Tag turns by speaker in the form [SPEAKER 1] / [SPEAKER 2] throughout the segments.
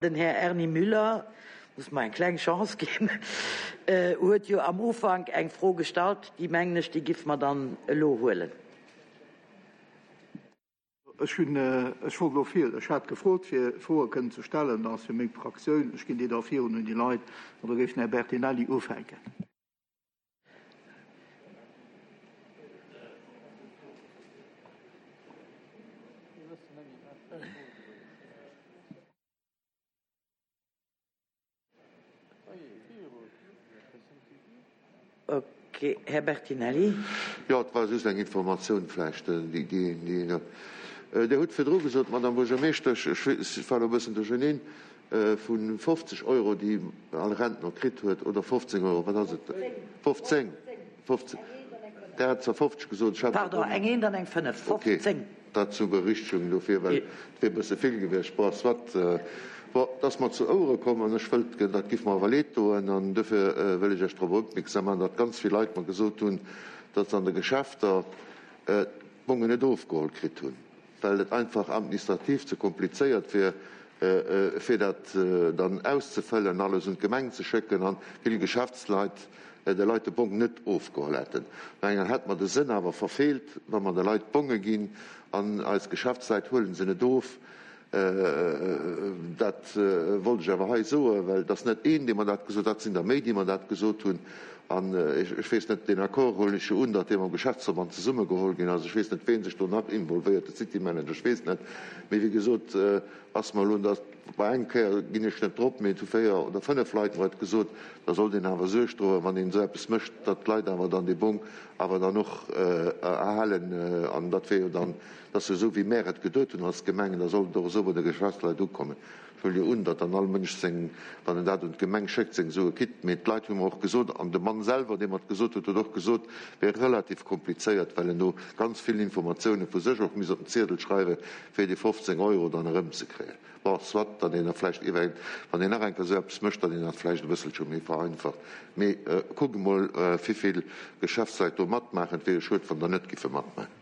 [SPEAKER 1] Den Här Erny Müller, muss mer eng kleng Chance ginn, huet jo am Ufank eng Fro gestallt, déi, mengen ech, déi giff mer dann elo huelen.
[SPEAKER 2] Ech hunn, ech wollt elo vir, ech hat gefrot, fir Froe kënnen ze stellen, dat ass fir meng Fraktioun, ech ginn déi da virun un déi Leit, an da géif den Här Bertinelli ufänken.
[SPEAKER 1] Ok, Här Bertinelli.
[SPEAKER 3] Jo, et war just eng Informatioun vläicht, déi, déi Dir hutt virdru gesot, Madame Buergermeeschtesch, ech war elo e bëssen duercherneen, Vu 50 Euro, déi all Rentner kritt huet, oder 15 Euro, wat ass et? 15! 15! Der hat zwar 50 gesot, ech hat awer.
[SPEAKER 1] Pardon, eng eent an eng fënnef, 15!
[SPEAKER 3] Ok, dat zur Berichtigung dofir, well et wier e bësse vill gewiescht. Bon, soit. Bon, et ass mer zu Ouere komm an ech wëllt, dat giff mer awer leed doen an dofir wëll ech Iech drop opmierksam maachen, datt ganz vill Leit mer gesot hunn, datt se an de Geschäfter d'Bongen net ofgeholl kritt hunn. well et einfach administrativ ze komplizéiert wier, fir dat dann auszefëllen, alles un d'Gemeng ze schécken an vill Geschäftsleit de Leit de Bong net ofgeholl hätten. No enger hätt mer de Sënn awer verfeelt, wa mer de Leit Bonge ginn an eis Geschäftsleit huelen se net of. Dat wollt ech awer hei soen, well et ass net een, dee mer dat gesot huet, dat sinn der méi, déi mer dat gesot hunn. An ech weess net, deen Accord huelen ech jo un, datt dee mam Geschäftsverband zesummegeholl ginn ass. Ech weess net, ween sech do nach involvéiert, de City Manager, ech weess net. Mee wéi gesot, ass mer elo dat, bei eng Kéier ginn ech net drop, mee et hu 4 oder 5 Leit mer et gesot, da sollt een awer Suerg droen, wann een esou eppes mécht, datt d'Leit awer dann dee Bong awer dann och erhalen. An dat wier jo dann Et ass jo esou, wéi mär et geduet hunn als Gemeng, da sollt et och esou bei de Geschäftsleit ukommen. Ech huele jo un, datt dann all Mënsch seng, wann en dat un d'Gemeng schéckt, seng Sue kritt. Mee d'Leit hu mer och gesot, an de Mann selwer, dee mer et gesot huet, huet och gesot, et wär relativ komplizéiert, well en do ganz vill Informatioune vu sech och misst op den Ziedel schreiwen, fir déi 15 Euro dann erëmzekréien. Bon, soit, datt een da vläicht iwwer, wann een nach eng Kéier esou eppes mécht, datt een dat vläicht e bësselche méi vereinfacht. Mee kuckt emol, wivill Geschäftsleit do matmaachen. Et wier jo schued, wann der net giffe matmaachen.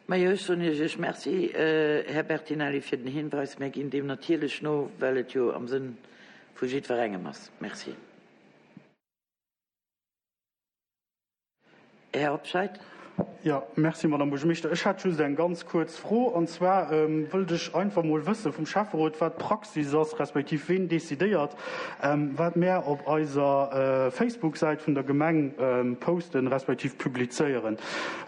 [SPEAKER 1] Majo, ech soen Iech Merci, Här Bertinelli, fir den Hinweis. Mär ginn deem natierlech no, well et jo am Sënn vu jiddwerengem ass. Merci. Här Hobscheit.
[SPEAKER 4] Jo, merci, Madame Buergermeeschter. Ech hätt just eng ganz kuerz Fro, an zwar wëllt ech einfach emol wësse vum Schäfferot, wat d'Praxis ass, respektiv ween decidéiert, wat mär op eiser Facebook-Säit vun der Gemeng posten, respektiv publizéieren.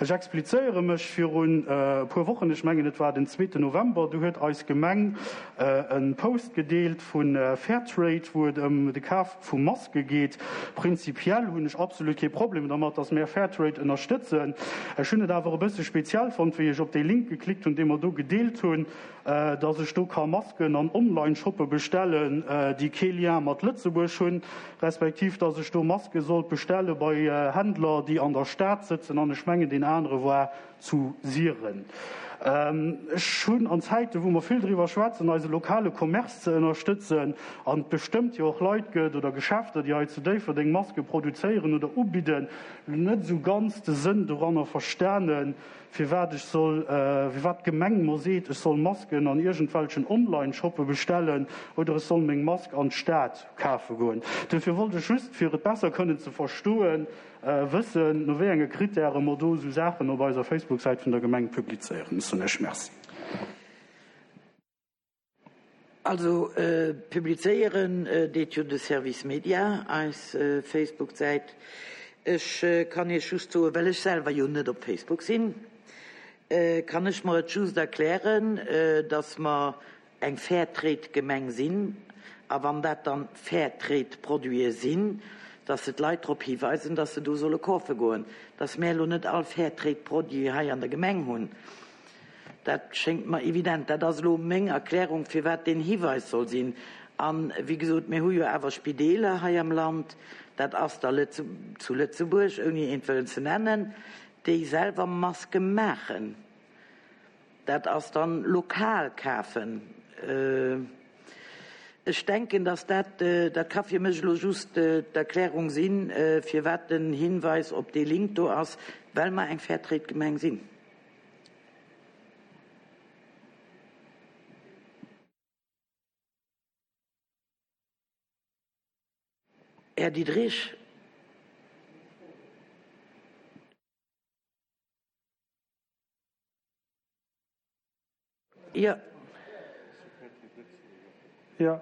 [SPEAKER 4] Ech explizéiere mech, Virun e puer Wochen, ech mengen et war den zweeten November, du huet eis Gemeng e Post gedeelt vu Fairtrade, wou et ëm de Kaf vu Maske geet. Prinzipiell hunn ech absolut kee Problem dermat, dass mär Fairtrade ënnerstëtzen. Ech hunn et awer e bësse speziell fonnt, wéi ech op dee Link geklickt hunn, dee mer do gedeelt hunn, dass ech do ka Masken an Online-Shoppe bestellen, déi kee Lien mat Lëtzebuerg hunn, respektiv dass ech do Maske sollt bestelle bei Händler, déi an der Stad sëtzen, an ech mengen deen anere war zu Siren. Ech hunn an Zäiten, wou mer vill driwwer schwätzen, eise lokale Commerce ze ënnerstëtzen, an et bestëmmt jo och Leit gëtt oder Geschäfter, déi hei zu Déifferdeng Maske produzéieren oder ubidden, net esou ganz de Sënn doranner verstanen, firwat ech soll, firwat d'Gemeng mer seet, ech soll Masken an iergendwelchen Online-Shoppe bestellen oder ech soll meng Mask an d'Stad kafe goen. Duerfir wollt ech just, fir et besser kënnen ze verstoen, wëssen, no wéi enge Kritäre mer do esou Saachen op eiser Facebook-Säit vun der Gemeng publizéieren. Ech soen Iech Merci.
[SPEAKER 1] Also publizéieren deet jo de Service Media eis Facebook-Säit. Ech kann Iech just soen, well ech selwer jo net op Facebook sinn, kann ech mer et just erklären, datt mer eng Fairtrade-Gemeng sinn a wann dat dann Fairtrade-Produite sinn, datt se d'Leit drop hiweisen, datt se do solle kafe goen. Datt mär elo net all Fairtrade-Produit hei an der Gemeng hunn, Dat schéngt mer evident. Dat ass elo meng Erklärung, firwat deen Hiweis soll sinn. A wéi gesot, mir hu jo awer Spideeler hei am Land, dat ass der zu Lëtzebuerg, ouni eent wëllen ze nennen, déi selwer Maske maachen. Dat ass dann lokal kafen. Ech denken, dass dat, dat ka fir mech elo just d'Erklärung sinn, firwat den Hinweis op dee Link do ass, well mer eng Fairtrade-Gemeng sinn. Här Diderich. Jo.
[SPEAKER 5] Jo,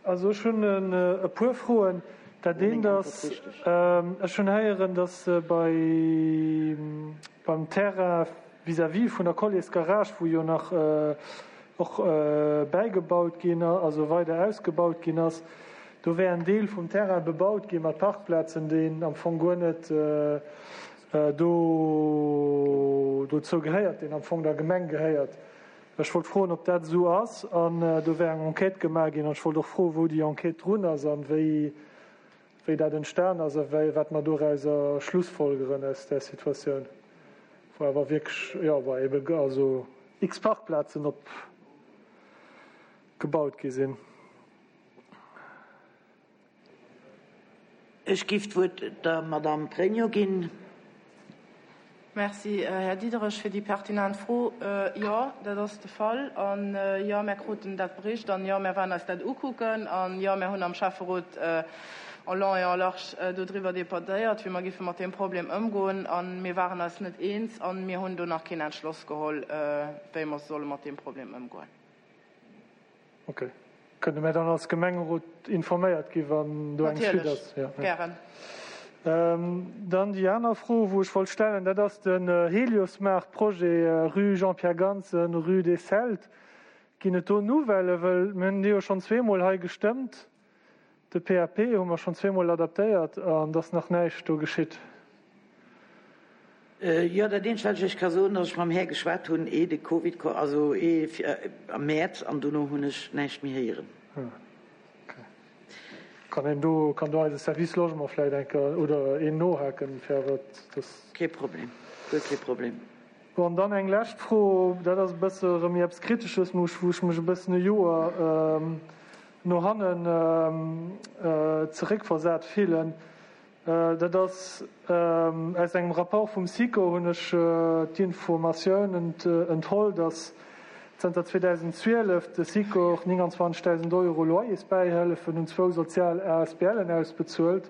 [SPEAKER 5] also ech hunn e puer Froen. Dat eent ass, ech hunn héieren, datt bei, beim Terrain vis-à-vis vun der Colliersgarage, wou jo nach och bäigebaut ginn, also weider ausgebaut ginn ass, do wär en Deel vum Terrain bebaut gi mat Parkplazen, deen am Fong guer net do dozou gehéiert, deen am Fong der Gemeng gehéiert. Ech wollt froen, ob dat esou ass an do wär eng Enquête gemaach ginn an ech wollt och froen, wou déi Enquête drun ass an wéi wéi dat entstan ass a wéi wat mer dorauser schlussfolgeren aus där Situatioun, wou awer wierklech, jo, wou ebe also x Parkplazen op gebaut gi sinn.
[SPEAKER 1] Ech giff d'Wuert der Madamm Pregno ginn.
[SPEAKER 6] Merci, Här Diderich, fir déi pertinent Fro. Jo, dat ass de Fall. An jo, mär kruten dat bericht. An jo, mär waren eis dat ukucken. An jo, mär hunn am Schäfferot en long et en large dodriwwer debattéiert, wéi mer giffe mat deem Problem ëmgoen. A mir waren eis net eens. A mir hunn do nach keen Entschloss geholl, wéi mer solle mat deem Problem ëmgoen.
[SPEAKER 5] Ok. Kënne mär dann als Gemengerot informéiert gi wann do eng Suite ass?
[SPEAKER 6] Natierlech, gären.
[SPEAKER 5] Dann déi aner Fro wou ech wollt stellen, dat ass den Heliosmaart-Projet rue Jean-Pierre Gansen, rue des Celtes. Ginn et do Nouvellen? Wëll mir hunn dee jo schonn zweemol hei gestëmmt. De PAP hu mer schonn zweemol adaptéiert an et ass nach näischt do geschitt.
[SPEAKER 1] Jo, dat eenzegt wat ech Iech ka soen, datt ech mam Här geschwat hunn, ee de Covid koum, also ee am Mäerz, an dono hunn ech näischt méi héieren.
[SPEAKER 5] Ok. Kann een do, kann do eise Service Logement vläicht eng Kéier oder een nohaken, fir awer dass.
[SPEAKER 1] Kee Problem, guer kee Problem.
[SPEAKER 5] Bon, an dann eng lescht Fro, dat ass e bësse erëm méi eppes Kritesches, wou ech mech e bëssen e Joer no hannen zeréckversat fillen. Dat ass, aus engem Rapport vum SICO hunn ech d'Informatioun entholl, datt zënter 2012 de Sikor 29.000 Euro Loyersbäihëllefen un zwou sozial ASBLen ausbezuelt.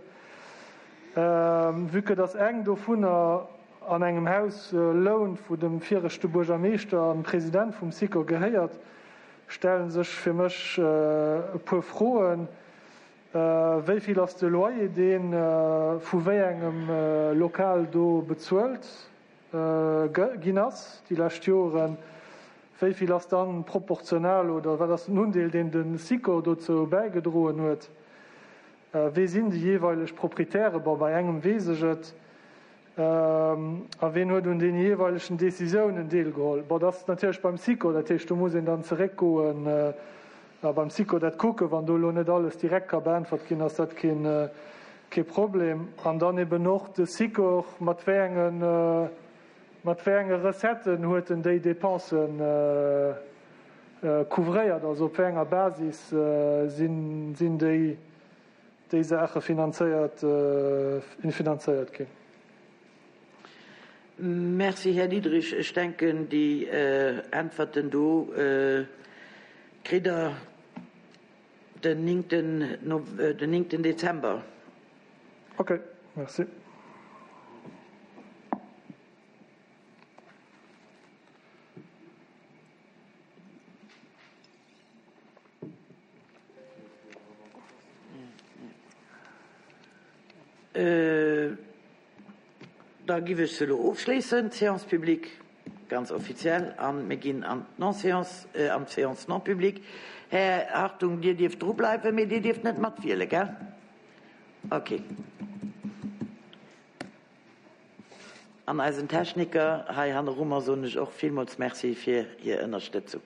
[SPEAKER 5] Vue que datt eng dovunner an engem Haus lount, wou dem viregte Buergermeeschter an President vum Sikor gehéiert, stelle sech fir mech e puer Froen. Wéi vill ass de Loyer, dee vu wéi engem Lokal do bezuelt ginn ass déi lescht Joren? Wéi vill ass dann proportional oder wat ass den Undeel, deen de Sikor dozou bäigedroen huet? Wee sinn déi jeeweileg Proprietäre? Bon, bei engem weess ech et. A ween huet un deene jeeweilegen Decisiounen deelgeholl? Bon, dat ass natierlech beim Sikor, dat heescht, do muss een dann zeréckgoen a beim Sikor dat kucken. Wann do elo net alles direkt ka beäntwert ginn, ass dat keen, kee Problem. An dann eben och de Sikor, mat wéi engen, mat wéi enge Recetten huet en déi Dépensen couvréiert, also op wéi enger Basis sinn, sinn déi, déi Saache finanzéiert finanzéiert ginn.
[SPEAKER 1] Merci, Här Diderich. Ech denken, déi Äntwerten do kritt Der den néngten Dezember.
[SPEAKER 5] Okay, merci.
[SPEAKER 1] Da giff ech se elo ofschléissen, d'Séance publique, ganz offiziell, a mir ginn an d'Non-séance, an d'Séance non publique. Här Hartung, Dir dierft drubleiwen, mee Dir dierft net matwielen, gell? Okay. An eisen Techniker hei hannerummer soen ech och villmools Merci fir hir Ënnerstëtzung.